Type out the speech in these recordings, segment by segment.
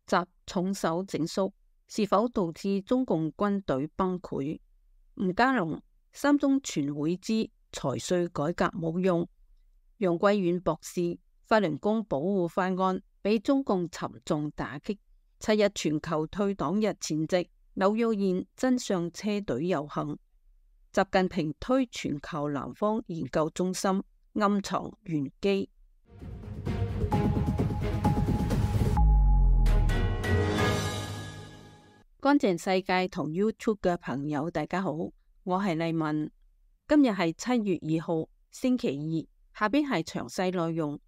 習重手整肅，是否導致中共軍隊崩潰？吳家龍，三中全會之財稅改革冇用。楊貴遠博士，法輪功保護法案被中共沉重打擊。7日全球退黨日前夕，紐約現真相車隊遊行。習近平推全球南方研究中心，暗藏玄機。乾淨世界同 YouTube 嘅朋友，大家好，我係麗文。今日係7月2號，星期二。下邊係詳細內容。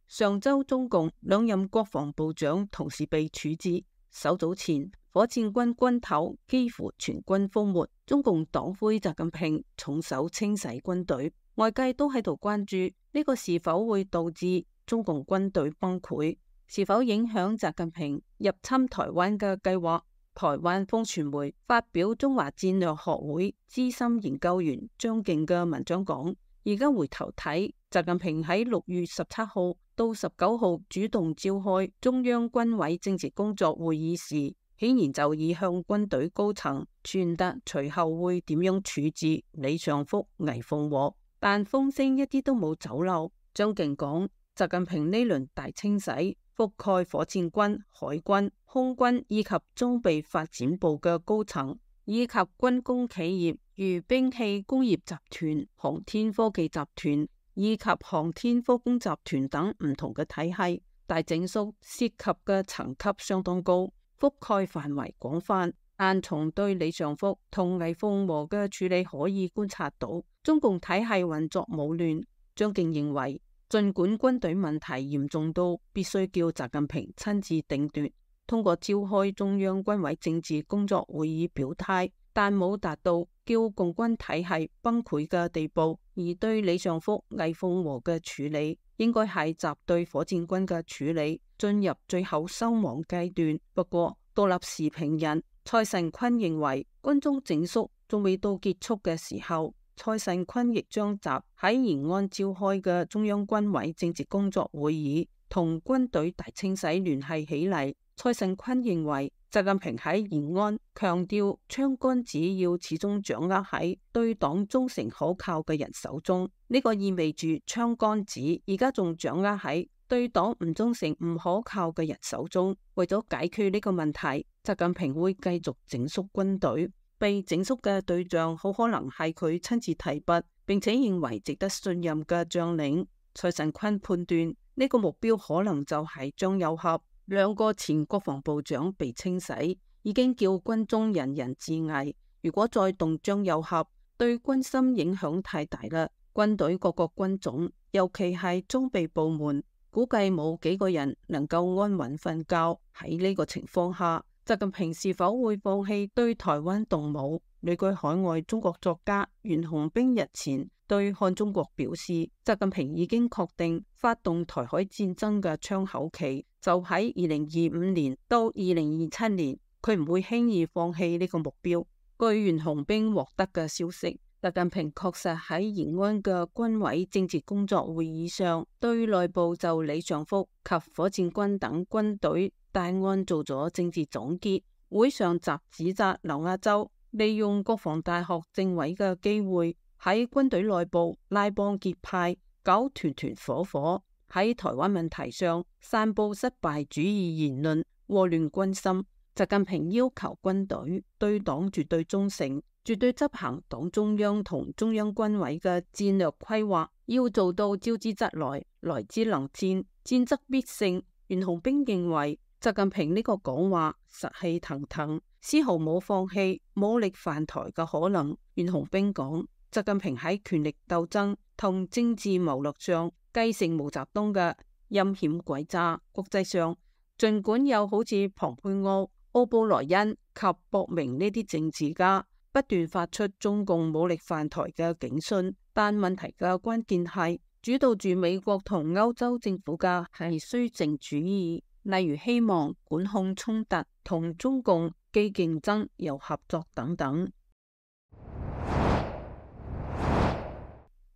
上周中共兩任國防部長同時被處置。稍早前，火箭軍軍頭幾乎全軍覆沒，中共黨魁習近平重手清洗軍隊，外界都喺度關注呢個是否會導致中共軍隊崩潰，是否影響習近平入侵台灣嘅計劃。台灣風傳媒發表中華戰略學會資深研究員張敬嘅文章講，而家回頭睇，習近平喺6月17號到19號主動召開中央軍委政治工作會議時，顯然就已向軍隊高層傳達隨後會點樣處置李尚福、魏鳳和，但風聲一啲都冇走漏。張敬講，習近平呢輪大清洗覆蓋火箭軍、海軍、空軍以及裝備發展部嘅高層，以及軍工企業如兵器工業集團、航天科技集團以及航天科工集團等唔同嘅體系。大整肅涉及嘅層級相當高，覆蓋範圍廣泛，但從對李尚福同魏鳳和嘅處理可以觀察到，中共體系運作冇亂。張敬認為，儘管軍隊問題嚴重到必須叫習近平親自定奪，通過召開中央軍委政治工作會議表態，但冇達到叫共軍體系崩潰嘅地步。而對李尚福、魏鳳和嘅處理，應該係習對火箭軍嘅處理進入最後收網階段。不過，獨立時評人蔡慎坤認為，軍中整肅仲未到結束嘅時候。蔡慎坤亦將習喺延安召開嘅中央軍委政治工作會議同軍隊大清洗聯繫起嚟。蔡慎坤認為，習近平喺延安強調槍桿子要始終掌握喺對黨忠誠可靠嘅人手中，呢個意味住槍桿子而家仲掌握喺對黨唔忠誠唔可靠嘅人手中。為咗解決呢個問題，習近平會繼續整肅軍隊。被整肅嘅對象好可能係佢親自提拔並且認為值得信任嘅將領。蔡慎坤判斷呢個目標可能就係張又俠。兩個前國防部長被清洗，已經叫軍中人人自危。如果再動張又俠，對軍心影響太大啦。軍隊各個軍種，尤其係裝備部門，估計冇幾個人能夠安穩瞓覺。喺呢個情況下，習近平是否會放棄對台灣動武？旅居海外中國作家袁弘兵日前對看中國表示，習近平已經確定發動台海戰爭嘅窗口期就喺2025年到2027年，佢唔會輕易放棄呢個目標。據袁弘兵獲得嘅消息，習近平確實喺延安嘅軍委政治工作會議上，對內部就李尚福及火箭軍等軍隊大案做咗政治總結。會上習指責劉亞洲利用國防大學政委嘅機會喺軍隊內部拉幫結派，搞團團伙伙，喺台灣問題上散布失敗主義言論，禍亂軍心。習近平要求軍隊對黨絕對忠誠，絕對執行黨中央同中央軍委嘅戰略規劃，要做到招之則來，來之能戰，戰則必勝。袁弘兵認為，習近平呢個講話實氣騰騰，絲毫冇放棄武力犯台嘅可能。袁弘兵講，習近平喺權力鬥爭同政治謀略上繼承毛澤東嘅陰險詭詐。國際上，儘管有好似蓬佩奧、奧布萊恩及博明呢啲政治家不斷發出中共武力犯台嘅警訊，但問題嘅關鍵係主導住美國同歐洲政府嘅係綏靖主義，例如希望管控衝突、同中共既競爭又合作等等。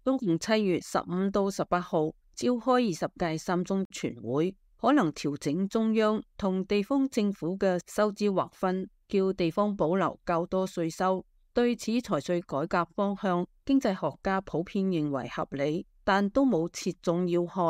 中共7月15到18號召開20屆三中全會，可能調整中央同地方政府嘅收支劃分，叫地方保留較多稅收。對此財稅改革方向，經濟學家普遍認為合理，但都冇切中要害。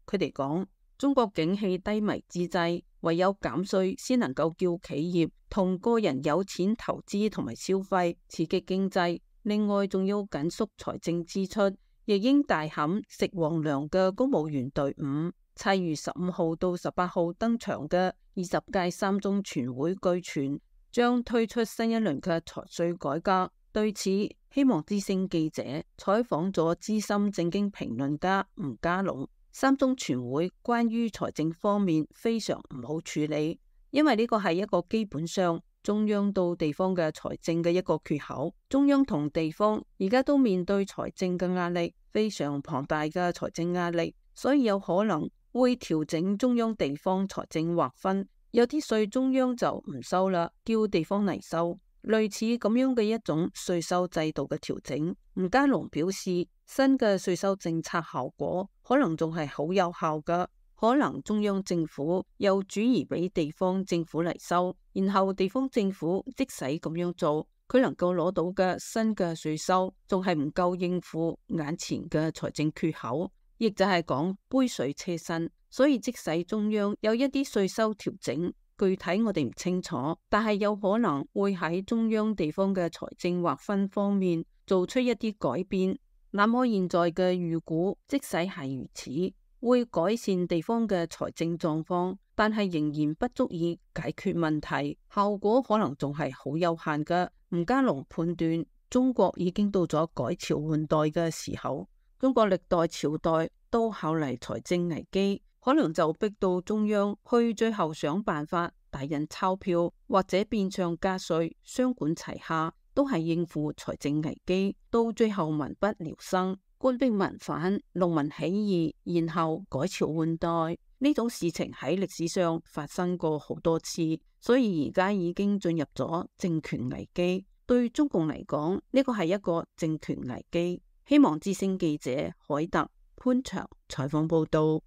佢哋講，中國景氣低迷之際，唯有減稅先能夠叫企業同個人有錢投資同埋消費，刺激經濟。另外仲要緊縮財政支出，亦應大砍食皇糧嘅公務員隊伍。7月15號到18號登場嘅20屆三中全會據傳將推出新一輪嘅財稅改革。對此，希望之聲記者採訪咗資深政經評論家吳家龍。三中全會關於財政方面非常唔好處理，因為呢個係一個基本上中央到地方嘅財政嘅一個缺口。中央同地方而家都面對財政嘅壓力，非常龐大嘅財政壓力，所以有可能會調整中央地方財政劃分，有啲稅中央就唔收啦，叫地方嚟收，類似咁樣嘅一種稅收制度嘅調整。吳家龍表示，新嘅稅收政策效果可能仲係好有效㗎，可能中央政府又轉移俾地方政府嚟收，然後地方政府即使咁樣做，佢能夠攞到嘅新嘅稅收仲係唔夠應付眼前嘅財政缺口，亦就係講杯水車薪。所以即使中央有一啲稅收調整，具體我哋唔清楚，但係有可能會喺中央地方嘅財政劃分方面做出一啲改變。那麼現在嘅預估，即使係如此，會改善地方嘅財政狀況，但係仍然不足以解決問題，效果可能仲係好有限嘅。吳家龍判斷，中國已經到咗改朝換代嘅時候，中國歷代朝代都考慮財政危機，可能就逼到中央去最後想辦法大印鈔票或者變相加稅，雙管齊下，都係應付財政危機。到最後民不聊生，官逼民反，農民起義，然後改朝換代，呢種事情喺歷史上發生過好多次，所以而家已經進入咗政權危機。對中共嚟講，呢個係一個政權危機。希望之聲記者海特潘祥採訪報道。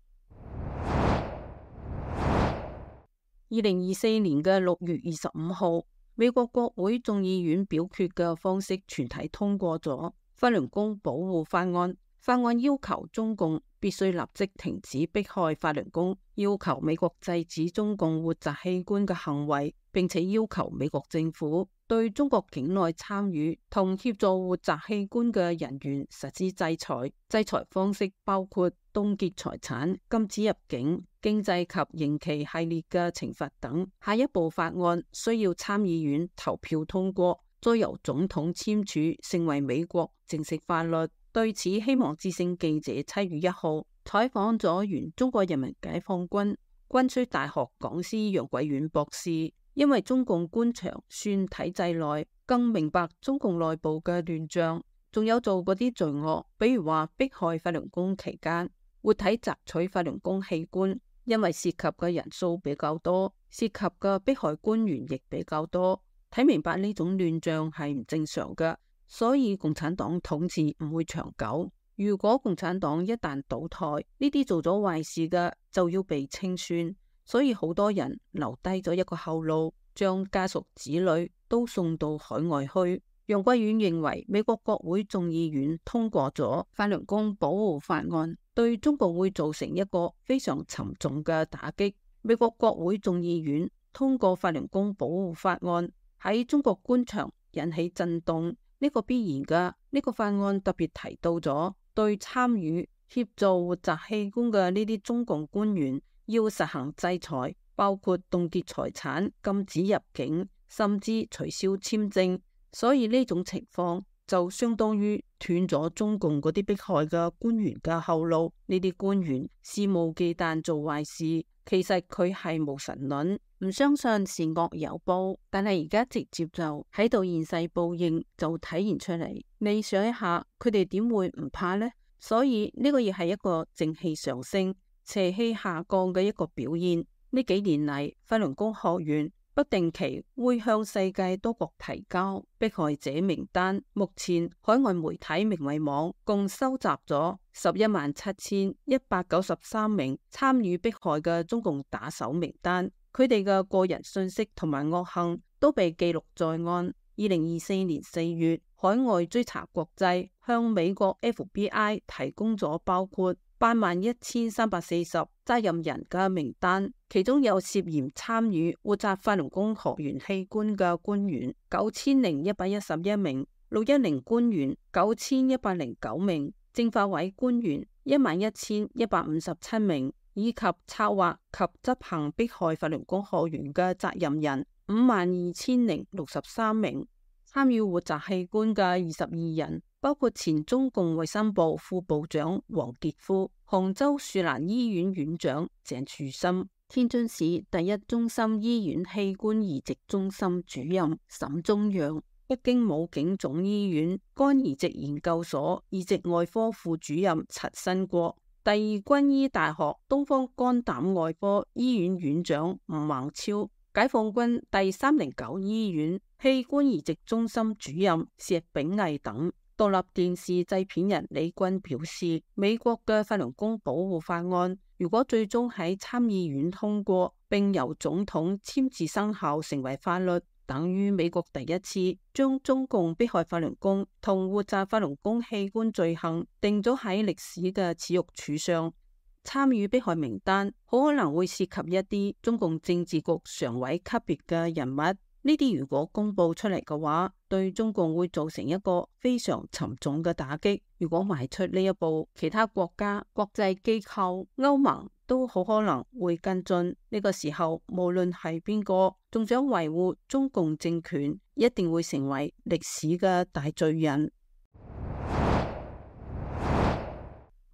2024年嘅6月25號，美國國會眾議院表決嘅方式全體通過咗法輪功保護法案。法案要求中共必須立即停止迫害法輪功，要求美國制止中共活摘器官嘅行為，並且要求美國政府對中國境內參與同協助活摘器官嘅人員實施制裁。制裁方式包括凍結財產、禁止入境、經濟及刑期系列嘅懲罰等。下一步法案需要參議院投票通過，再由總統簽署，成為美國正式法律。對此，希望之聲記者7月1號採訪咗原中國人民解放軍軍需大學講師楊貴遠博士，因為中共官場算體制內，更明白中共內部嘅亂象，仲有做嗰啲罪惡，比如話迫害法輪功期間活體摘取法輪功器官，因為涉及嘅人數比較多，涉及嘅迫害官員亦比較多，睇明白呢種亂象係唔正常嘅。所以共產黨統治唔會長久。如果共產黨一旦倒台，呢啲做咗壞事嘅就要被清算。所以好多人留低咗一個後路，將家屬子女都送到海外去。楊貴遠認為，美國國會眾議院通過咗法輪功保護法案，對中共會造成一個非常沉重嘅打擊。美國國會眾議院通過法輪功保護法案，喺中國官場引起震動。呢個必然㗎。呢個法案特別提到咗對參與協助活摘器官嘅呢啲中共官員要實行制裁，包括凍結財產、禁止入境，甚至取消簽證。所以呢種情況就相當於斷咗中共嗰啲迫害嘅官員嘅後路。呢啲官員肆無忌憚做壞事，其實佢係無神論，唔相信善惡有報，但係而家直接就喺度現世報應，就體現出嚟。你想一下，佢哋點會唔怕呢？所以呢個亦係一個正氣上升、邪氣下降嘅一個表現。呢幾年嚟，法輪功學員不定期會向世界多國提交迫害者名單。目前海外媒體明慧網共收集咗117193名參與迫害嘅中共打手名單，佢哋嘅個人信息同埋惡行都被記錄在案。2024年4月，海外追查國際向美國 FBI 提供咗包括81340責任人嘅名單，其中有涉嫌參與活摘法輪功學員器官嘅官員9111名，610官員9109名，政法委官員11157名，以及策劃及執行迫害法輪功學員嘅責任人52063名，參與活摘器官嘅22人，包括前中共衛生部副部長黃傑夫、杭州樹蘭醫院院長鄭樹森、天津市第一中心醫院器官移植中心主任沈宗陽、北京武警總醫院肝移植研究所移植外科副主任陳新國、第二軍醫大學東方肝膽外科醫院院長吳孟超、解放軍第309醫院器官移植中心主任石炳毅等。獨立電視製片人李軍表示，美國嘅法輪功保護法案如果最終喺參議院通過，並由總統簽字生效成為法律，等於美國第一次將中共迫害法輪功同活摘法輪功器官罪行定咗喺歷史嘅恥辱柱上。參與迫害名單好可能會涉及一啲中共政治局常委級別嘅人物。呢啲如果公布出嚟嘅話，對中共會造成一個非常沉重嘅打擊。如果邁出呢一步，其他國家、國際機構、歐盟都好可能會跟進。呢個時候，無論係邊個，仲想維護中共政權，一定會成為歷史嘅大罪人。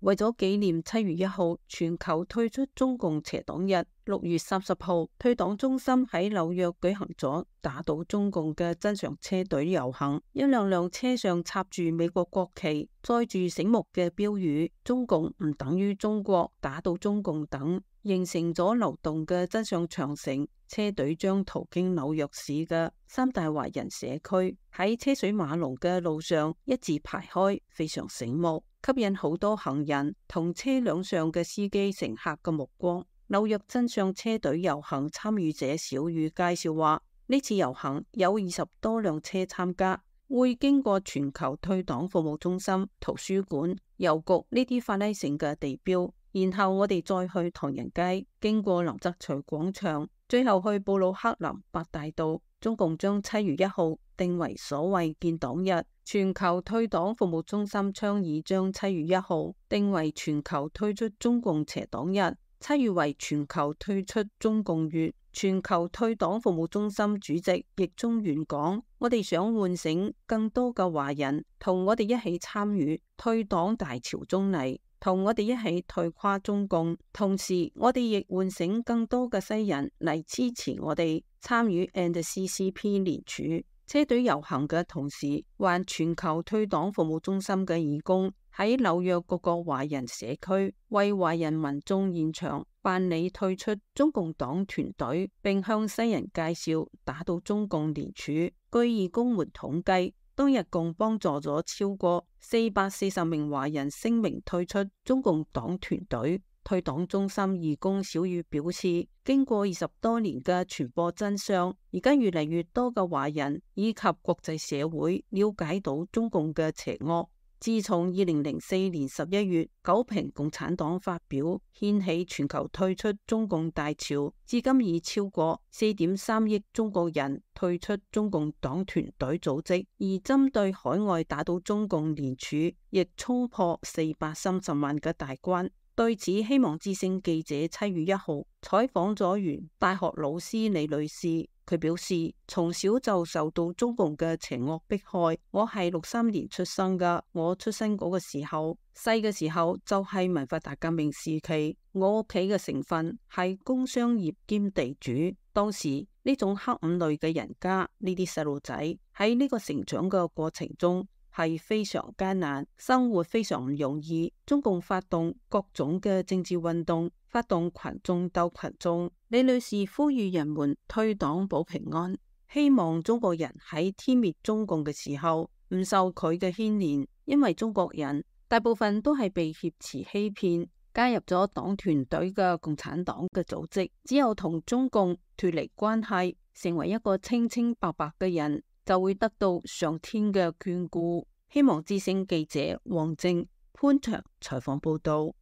為咗紀念7月1號全球退出中共邪黨日，6月30號，退黨中心喺紐約舉行咗打倒中共嘅真相車隊遊行。一輛輛車上插住美國國旗，載住醒目嘅標語「中共唔等於中國，打倒中共」等，形成咗流動嘅真相長城。車隊將途經紐約市嘅3大華人社區，喺車水馬龍嘅路上一字排開，非常醒目，吸引好多行人同車輛上嘅司機乘客嘅目光。紐約真相車隊遊行參與者小雨介紹話，呢次遊行有20多輛車參加，會經過全球退黨服務中心、圖書館、郵局呢啲法拉盛嘅地標，然後我哋再去唐人街，經過林則徐廣場，最後去布魯克林八大道。中共將7月1號定為所謂建黨日，全球退黨服務中心倡議將7月1號定為全球退出中共邪黨日，7月為全球退出中共月。全球退黨服務中心主席易中元講，我哋想喚醒更多嘅華人同我哋一起參與退黨大潮中嚟，同我哋一起退垮中共，同時我哋亦喚醒更多嘅西人嚟支持我哋參與 CCP 聯署。車隊遊行嘅同時，還全球退黨服務中心嘅義工喺紐約各個華人社區為華人民眾現場辦理退出中共黨團隊，並向西人介紹打倒中共聯署。據義工們統計，當日共幫助咗超過440名華人聲明退出中共黨團隊。退黨中心義工小雨表示，經過20多年嘅傳播真相，而家越嚟越多嘅華人以及國際社會了解到中共嘅邪惡。自從2004年11月九平共產黨發表掀起全球退出中共大潮，至今已超過4.3億中國人退出中共黨團隊組織，而針對海外打倒中共聯署亦衝破430萬嘅大關。對此，希望之聲記者7月1號採訪咗原大學老師李女士，佢表示從小就受到中共嘅邪惡迫害。我係63年出生噶，我出生嗰個時候，細嘅時候就係文化大革命時期，我屋企嘅成分係工商業兼地主。當時呢種黑五類嘅人家，呢啲細路仔喺呢個成長嘅過程中，係非常艱難，生活非常唔容易。中共發動各種嘅政治運動，發動群眾鬥群眾。李女士呼籲人們退黨保平安，希望中國人喺殲滅中共嘅時候唔受佢嘅牽連，因為中國人大部分都係被挾持欺騙，加入咗黨團隊嘅共產黨嘅組織。只有同中共脫離關係，成為一個清清白白嘅人，就會得到上天嘅眷顧。希望之聲記者王靖、潘長採訪報道。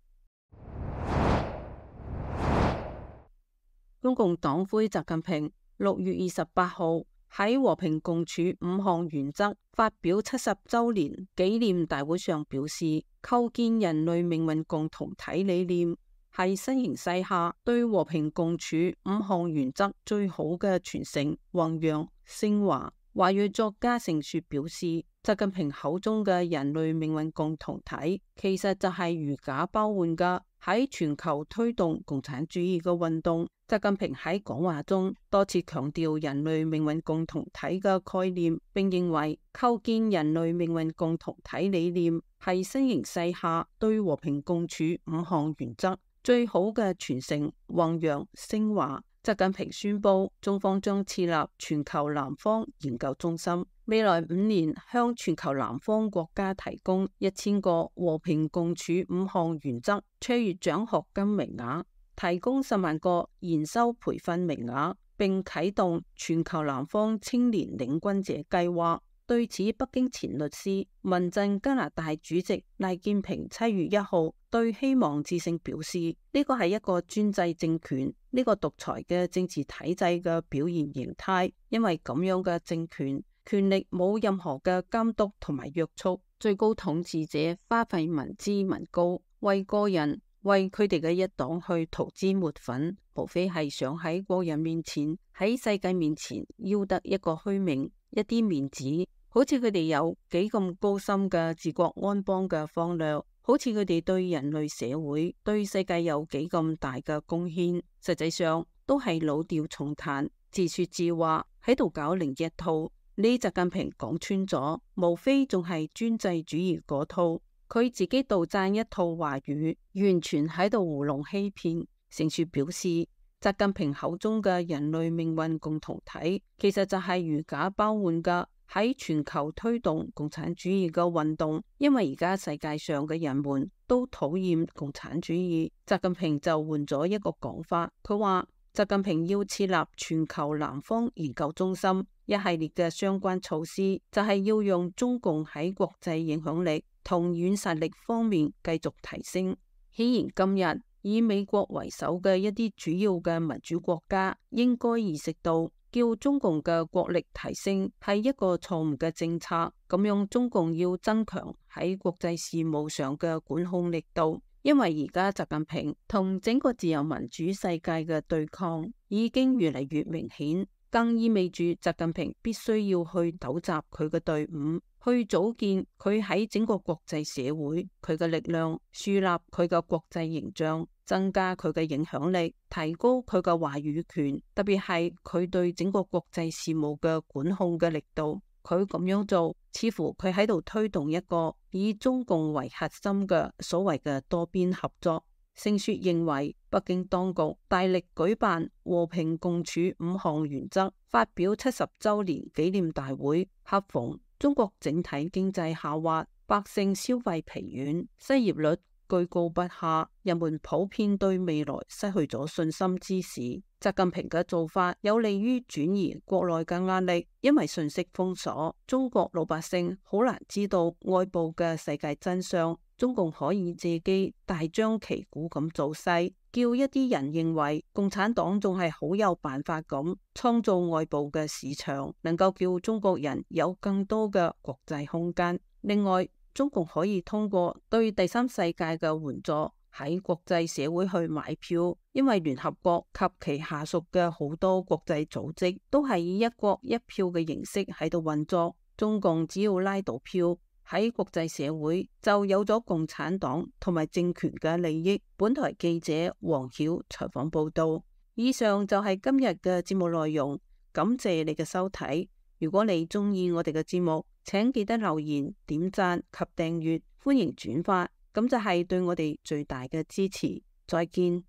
中共黨魁習近平6月28號喺和平共處5項原則發表70周年紀念大會上表示，構建人類命運共同體理念係新形勢下對和平共處5項原則最好嘅傳承、弘揚、升華。華裔作家盛雪表示，習近平口中嘅人類命運共同體，其實就係如假包換嘅喺全球推動共產主義嘅運動。習近平喺講話中多次強調人類命運共同體嘅概念，並認為構建人類命運共同體理念係新形勢下對和平共處5項原則最好嘅傳承、弘揚、升華。習近平宣布，中方將設立全球南方研究中心，未來5年向全球南方國家提供1000個和平共處5項原則卓越獎學金名額，提供10萬個研修培訓名額，並啟動全球南方青年領軍者計劃。對此，北京前律師、民陣加拿大主席賴建平7月1號對希望之聲表示，呢個係一個專制政權，呢個獨裁嘅政治體制嘅表現形態，因為咁樣嘅政權權力冇任何嘅監督同埋約束，最高統治者花費民脂民膏，為個人為佢哋嘅一黨去塗脂抹粉，無非係想喺國人面前、喺世界面前要得一個虛名、一啲面子。好似佢哋有幾咁高深嘅治國安邦嘅方略，好似佢哋對人類社會、對世界有幾咁大嘅貢獻，實際上都係老調重彈、自說自話，喺度搞另一套。呢習近平講穿咗，無非仲係專制主義嗰套，佢自己杜撰一套話語，完全喺度糊弄欺騙。盛雪表示，習近平口中嘅人類命運共同體，其實就係如假包換嘅喺全球推動共產主義嘅運動，因為而家世界上嘅人們都討厭共產主義，習近平就換咗一個講法，佢話習近平要設立全球南方研究中心，一系列嘅相關措施就係要用中共喺國際影響力同軟實力方面繼續提升。顯然今日以美國為首嘅一啲主要嘅民主國家應該意識到，叫中共嘅國力提升係一個錯誤嘅政策，咁樣中共要增強喺國際事務上嘅管控力度，因為而家習近平同整個自由民主世界嘅對抗已經越嚟越明顯，更意味住習近平必須要去糾集佢嘅隊伍，去組建佢喺整個國際社會佢嘅力量，樹立佢嘅國際形象，增加佢嘅影響力，提高佢嘅話語權，特別係佢對整個國際事務嘅管控嘅力度。佢咁樣做，似乎佢喺度推動一個以中共為核心嘅所謂嘅多邊合作。盛雪認為，北京當局大力舉辦和平共處5項原則發表70周年紀念大會，恰逢中國整體經濟下滑，百姓消費疲軟，失業率居高不下，人們普遍對未來失去咗信心之時，習近平嘅做法有利於轉移國內嘅壓力，因為信息封鎖，中國老百姓好難知道外部嘅世界真相。中共可以借機大張旗鼓咁造勢，叫一啲人認為共產黨仲係好有辦法咁創造外部嘅市場，能夠叫中國人有更多嘅國際空間。另外，中共可以通過對第三世界嘅援助喺國際社會去買票，因為聯合國及其下屬嘅好多國際組織都係以一國一票嘅形式喺度運作。中共只要拉到票，喺國際社會就有咗共產黨同埋政權嘅利益。本台記者黃曉採訪報道。以上就係今日嘅節目內容，感謝你嘅收睇。如果你中意我哋嘅節目，請記得留言、點讚及訂閱，歡迎轉發，咁就係對我哋最大嘅支持。再見。